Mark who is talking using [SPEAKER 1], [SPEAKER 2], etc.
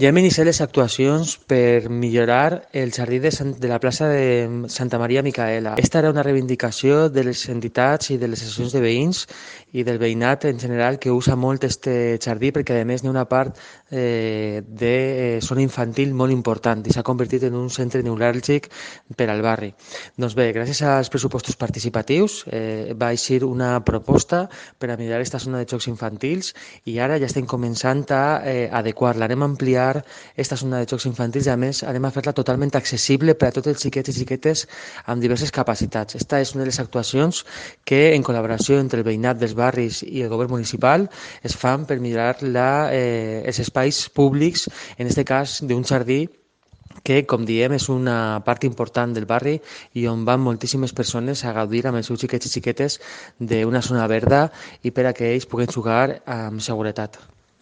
[SPEAKER 1] Ja hem iniciat les actuacions per millorar el jardí de la plaça de Santa Maria Micaela. Esta era una reivindicació de les entitats i de les associacions de veïns i del veïnat en general que usa molt este jardí perquè a més n'hi ha una part de zona infantil molt important i s'ha convertit en un centre neuràlgic per al barri. Doncs bé, gràcies als pressupostos participatius va eixir una proposta per a millorar aquesta zona de jocs infantils i ara ja estem començant a adequar-la. Anem a ampliar esta zona de jocs infantils i a més anem a fer-la totalment accessible per a tots els xiquets i xiquetes amb diverses capacitats. Esta és una de les actuacions que en col·laboració entre el veïnat dels barris i el govern municipal es fan per millorar els espais públics, en aquest cas d'un jardí que, com diem, és una part important del barri i on van moltíssimes persones a gaudir amb els seus xiquets i xiquetes d'una zona verda i per a que ells puguen jugar amb seguretat.